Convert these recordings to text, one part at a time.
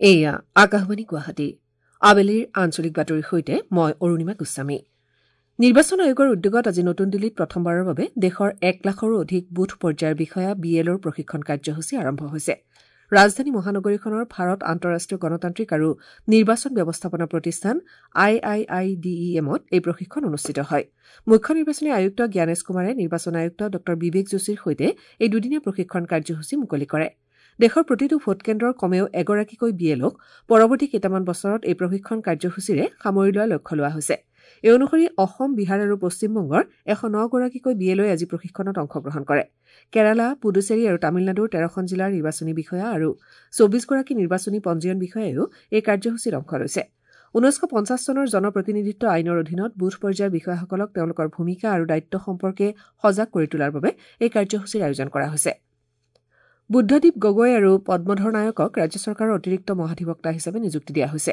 এয়া আকাশবাণী গুৱাহাটী। আবেলিৰ আঞ্চলিক বাতৰিৰ সৈতে মই অৰুণিমা গোস্বামী। নিৰ্বাচন আয়োগৰ উদ্যোগত আজি নতুন দিল্লীত প্ৰথমবাৰৰ বাবে দেশৰ 1 লাখৰো অধিক বুথ পৰ্যায়ৰ বিষয়া বি এলৰ প্ৰশিক্ষণ কাৰ্যসূচী আৰম্ভ হৈছে। ৰাজধানী মহানগৰীখনৰ ভাৰত আন্তঃৰাষ্ট্ৰীয় গণতান্ত্ৰিক আৰু নিৰ্বাচন ব্যৱস্থাপনা প্ৰতিষ্ঠান I I I D E এমত এই প্ৰশিক্ষণ অনুষ্ঠিত হয়। মুখ্য নিৰ্বাচনী আয়ুক্ত জ্ঞানেশ কুমাৰে নিৰ্বাচন আয়ুক্ত ডঃ বিবেক যোশীৰ সৈতে এই দুদিনীয়া প্ৰশিক্ষণ কাৰ্যসূচী মুকলি কৰে। দেশৰ প্ৰতিটো ভোটকেন্দ্ৰৰ কমেও এগৰাকীকৈ বি এলক পৰৱৰ্তী কেইটামান বছৰত এই প্ৰশিক্ষণ কাৰ্যসূচীৰে সামৰি লোৱাৰ লক্ষ্য লোৱা হৈছে। এই অনুসৰি অসম, বিহাৰ আৰু পশ্চিমবংগৰ 109গৰাকীকৈ বি এলই আজি প্ৰশিক্ষণত অংশগ্ৰহণ কৰে। কেৰালা, পুডুচেৰী আৰু তামিলনাডুৰ 13খন জিলাৰ নিৰ্বাচনী বিষয়া আৰু 24গৰাকী নিৰ্বাচনী পঞ্জীয়ন বিষয়াইও এই কাৰ্যসূচীত অংশ লৈছে। 1950 চনৰ জনপ্ৰতিনিধিত্ব আইনৰ অধীনত বুথ পৰ্যায়ৰ বিষয়াসকলক তেওঁলোকৰ ভূমিকা আৰু দায়িত্ব সম্পৰ্কে সজাগ কৰি তোলাৰ বাবে এই কাৰ্যসূচীৰ আয়োজন কৰা হৈছে। বুদ্ধদীপ গগৈ আৰু পদ্মধৰ নায়কক ৰাজ্য চৰকাৰৰ অতিৰিক্ত মহাধিবক্তা হিচাপে নিযুক্তি দিয়া হৈছে।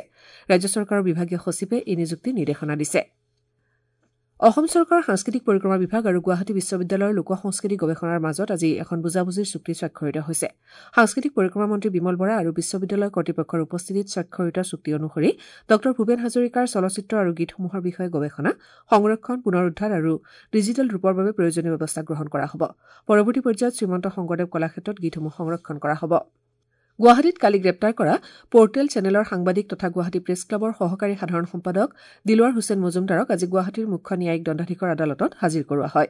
ৰাজ্য চৰকাৰৰ বিভাগীয় সচিবে এই নিযুক্তিৰ নিৰ্দেশনা দিছে। অসম চৰকাৰৰ সাংস্কৃতিক পৰিক্ৰমা বিভাগ আৰু গুৱাহাটী বিশ্ববিদ্যালয়ৰ লোক সংস্কৃতি গৱেষণাৰ মাজত আজি এখন বুজাবুজিৰ চুক্তি স্বাক্ষৰিত হৈছে। সাংস্কৃতিক পৰিক্ৰমা মন্ত্ৰী বিমল বৰা আৰু বিশ্ববিদ্যালয় কৰ্তৃপক্ষৰ উপস্থিতিত স্বাক্ষৰিত চুক্তি অনুসৰি ডঃ ভূপেন হাজৰিকাৰ চলচ্চিত্ৰ আৰু গীতসমূহৰ বিষয়ে গৱেষণা, সংৰক্ষণ, পুনৰুদ্ধাৰ আৰু ডিজিটেল ৰূপৰ বাবে প্ৰয়োজনীয় ব্যৱস্থা গ্ৰহণ কৰা হ'ব। পৰৱৰ্তী পৰ্যায়ত শ্ৰীমন্ত শংকৰদেৱ কলাক্ষেত্ৰত গীতসমূহ সংৰক্ষণ কৰা হ'ব। গুৱাহাটীত কালি গ্ৰেপ্তাৰ কৰা পৰ্টেল চেনেলৰ সাংবাদিক তথা গুৱাহাটী প্ৰেছ ক্লাবৰ সহকাৰী সাধাৰণ সম্পাদক দিলৱাৰ হুছেইন মজুমদাৰক আজি গুৱাহাটীৰ মুখ্য ন্যায়িক দণ্ডাধীশৰ আদালতত হাজিৰ কৰোৱা হয়।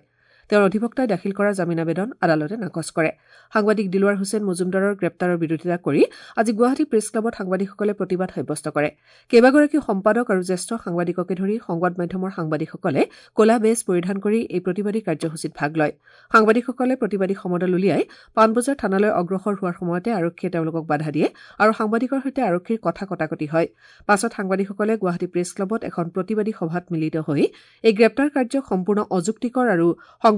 তেওঁৰ অধিবক্তাই দাখিল কৰা জামিন আবেদন আদালতে নাকচ কৰে। সাংবাদিক দিলৱাৰ হুছেইন মজুমদাৰৰ গ্ৰেপ্তাৰৰ বিৰোধিতা কৰি আজি গুৱাহাটী প্ৰেছ ক্লাবত সাংবাদিকসকলে প্ৰতিবাদ সাব্যস্ত কৰে। কেইবাগৰাকীও সম্পাদক আৰু জ্যেষ্ঠ সাংবাদিককে ধৰি সংবাদ মাধ্যমৰ সাংবাদিকসকলে ক'লা বেজ পৰিধান কৰি এই প্ৰতিবাদী কাৰ্যসূচীত ভাগ লয়। সাংবাদিকসকলে প্ৰতিবাদী সমদল উলিয়াই পাণবজাৰ থানালৈ অগ্ৰসৰ হোৱাৰ সময়তে আৰক্ষীয়ে তেওঁলোকক বাধা দিয়ে আৰু সাংবাদিকৰ সৈতে আৰক্ষীৰ কথা কটাকটি হয়। পাছত সাংবাদিকসকলে গুৱাহাটী প্ৰেছ ক্লাবত এখন প্ৰতিবাদী সভাত মিলিত হৈ এই গ্ৰেপ্তাৰ কাৰ্যক সম্পূৰ্ণ অযুক্তিকৰ আৰু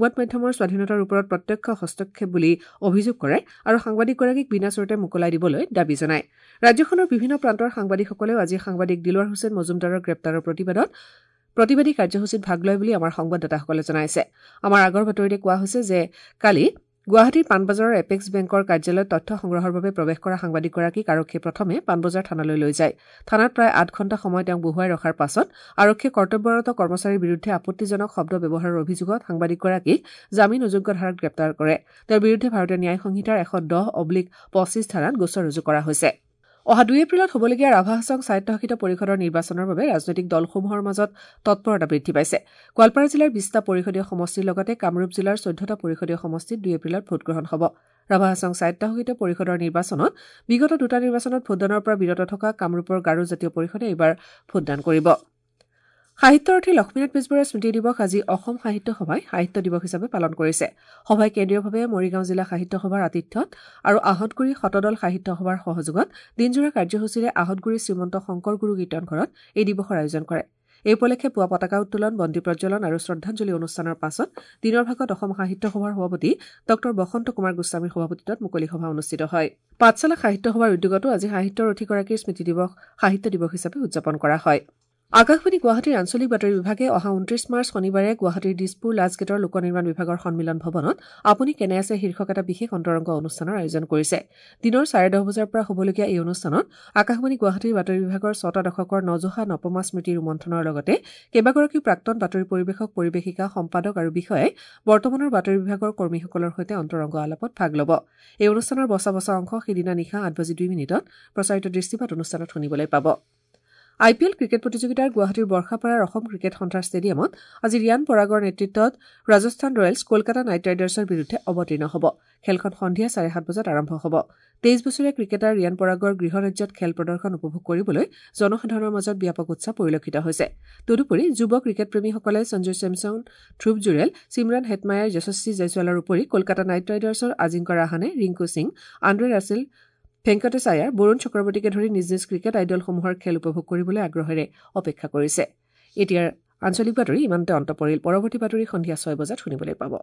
সংবাদ মাধ্যমৰ স্বাধীনতাৰ ওপৰত প্ৰত্যক্ষ হস্তক্ষেপ বুলি অভিযোগ কৰে আৰু সাংবাদিকগৰাকীক বিনাচৰ্তে মোকলাই দিবলৈ দাবী জনায়। ৰাজ্যখনৰ বিভিন্ন প্ৰান্তৰ সাংবাদিকসকলেও আজি সাংবাদিক দিলৱাৰ হুছেইন মজুমদাৰৰ গ্ৰেপ্তাৰৰ প্ৰতিবাদত প্ৰতিবাদী কাৰ্যসূচীত ভাগ লয় বুলি আমাৰ সংবাদদাতাসকলে জনাইছে। আমাৰ আগৰ বাতৰিতে কোৱা হৈছে যে কালি গুৱাহাটীৰ পাণবজাৰৰ এপেক্স বেংকৰ কাৰ্যালয়ত তথ্য সংগ্ৰহৰ বাবে প্ৰৱেশ কৰা সাংবাদিকগৰাকীক আৰক্ষীয়ে প্ৰথমে পাণবজাৰ থানালৈ লৈ যায়। থানাত প্ৰায় 8 ঘণ্টা সময় তেওঁক বহুৱাই ৰখাৰ পাছত আৰক্ষীয়ে কৰ্তব্যৰত কৰ্মচাৰীৰ বিৰুদ্ধে আপত্তিজনক শব্দ ব্যৱহাৰৰ অভিযোগত সাংবাদিকগৰাকীক জামিন অযোগ্য ধাৰাত গ্ৰেপ্তাৰ কৰে। তেওঁৰ বিৰুদ্ধে ভাৰতীয় ন্যায় সংহিতাৰ 110/25 ধাৰাত গোচৰ ৰুজু কৰা হৈছে। অহা 2 এপ্ৰিলত হ'বলগীয়া ৰাভা হাছং স্বায়ত্তশাসিত পৰিষদৰ নিৰ্বাচনৰ বাবে ৰাজনৈতিক দলসমূহৰ মাজত তৎপৰতা বৃদ্ধি পাইছে। গোৱালপাৰা জিলাৰ 20টা পৰিষদীয় সমষ্টিৰ লগতে কামৰূপ জিলাৰ 14টা পৰিষদীয় সমষ্টিত 2 এপ্ৰিলত ভোটগ্ৰহণ হ'ব। ৰাভা হাছং স্বায়ত্তশাসিত পৰিষদৰ নিৰ্বাচনত বিগত দুটা নিৰ্বাচনত ভোটদানৰ পৰা বিৰত থকা কামৰূপৰ গাৰো জাতীয় পৰিষদে এইবাৰ ভোটদান কৰিব। সাহিত্যৰথী লক্ষ্মীনাথ বেজবৰুৱাৰ স্মৃতি দিৱস আজি অসম সাহিত্য সভাই সাহিত্য দিৱস হিচাপে পালন কৰিছে। সভাই কেন্দ্ৰীয়ভাৱে মৰিগাঁও জিলা সাহিত্য সভাৰ আতিথ্যত আৰু আহঁতগুৰি শতদল সাহিত্য সভাৰ সহযোগত দিনজোৰা কাৰ্যসূচীৰে আহঁতগুৰি শ্ৰীমন্ত শংকৰ গুৰু কীৰ্তন ঘৰত এই দিৱসৰ আয়োজন কৰে। এই উপলক্ষে পুৱা পতাকা উত্তোলন, বন্তি প্ৰজ্বলন আৰু শ্ৰদ্ধাঞ্জলি অনুষ্ঠানৰ পাছত দিনৰ ভাগত অসম সাহিত্য সভাৰ সভাপতি ডঃ বসন্ত কুমাৰ গোস্বামীৰ সভাপতিত্বত মুকলি সভা অনুষ্ঠিত হয়। পাঠশালা সাহিত্য সভাৰ উদ্যোগতো আজি সাহিত্যৰথীগৰাকীৰ স্মৃতি দিৱস সাহিত্য দিৱস হিচাপে উদযাপন কৰা হয়। আকাশবাণী গুৱাহাটীৰ আঞ্চলিক বাতৰি বিভাগে অহা 29 মাৰ্চ শনিবাৰে গুৱাহাটীৰ দিছপুৰ লাজগেটৰ লোক নিৰ্মাণ বিভাগৰ সন্মিলন ভৱনত আপুনি কেনে আছে শীৰ্ষক এটা বিশেষ অন্তৰংগ অনুষ্ঠানৰ আয়োজন কৰিছে। দিনৰ 10:30 বজাৰ পৰা হ'বলগীয়া এই অনুষ্ঠানত আকাশবাণী গুৱাহাটীৰ বাতৰি বিভাগৰ 6টা দশকৰ নজহা নপমা স্মৃতি ৰোমন্থনৰ লগতে কেইবাগৰাকীও প্ৰাক্তন বাতৰি পৰিৱেশক, পৰিৱেশিকা, সম্পাদক আৰু বিষয়াই বৰ্তমানৰ বাতৰি বিভাগৰ কৰ্মীসকলৰ সৈতে অন্তৰংগ আলাপত ভাগ ল'ব। এই অনুষ্ঠানৰ বচা বচা অংশ সিদিনা নিশা 8:02 প্ৰচাৰিত দৃষ্টিপাত অনুষ্ঠানত শুনিবলৈ পাব। আই পি এল ক্ৰিকেট প্ৰতিযোগিতাৰ গুৱাহাটীৰ বৰ্ষাপাৰাৰ অসম ক্ৰিকেট সন্থাৰ ষ্টেডিয়ামত আজি ৰিয়ান পৰাগৰ নেতৃত্বত ৰাজস্থান ৰয়েলছ কলকাতা নাইট ৰাইডাৰ্ছৰ বিৰুদ্ধে অৱতীৰ্ণ হ'ব। খেলখন সন্ধিয়া 7:30 বজাত আৰম্ভ হ'ব। 23 বছৰীয়া ক্ৰিকেটাৰ ৰিয়ান পৰাগৰ গৃহ ৰাজ্যত খেল প্ৰদৰ্শন উপভোগ কৰিবলৈ জনসাধাৰণৰ মাজত ব্যাপক উৎসাহ পৰিলক্ষিত হৈছে। তদুপৰি যুৱ ক্ৰিকেটপ্ৰেমীসকলে Sanju Samson, Dhruv Jurel, Shimron Hetmyer, Yashasvi জয়ছোৱালৰ উপৰি কলকাতা নাইট ৰাইডাৰ্ছৰ আজিংক্য ৰাহানে, ৰিংকু সিং, আন্দ্ৰে ৰাছেল, ভেংকটেশ আয়াৰ, বৰুণ চক্ৰৱৰ্তীকে ধৰি নিজ নিজ ক্ৰিকেট আইডলসমূহৰ খেল উপভোগ কৰিবলৈ আগ্ৰহেৰে অপেক্ষা কৰিছে। এতিয়াৰ আঞ্চলিক বাতৰি ইমানতে অন্ত পৰিল। পৰৱৰ্তী বাতৰি সন্ধিয়া 6 বজাত শুনিবলৈ পাব।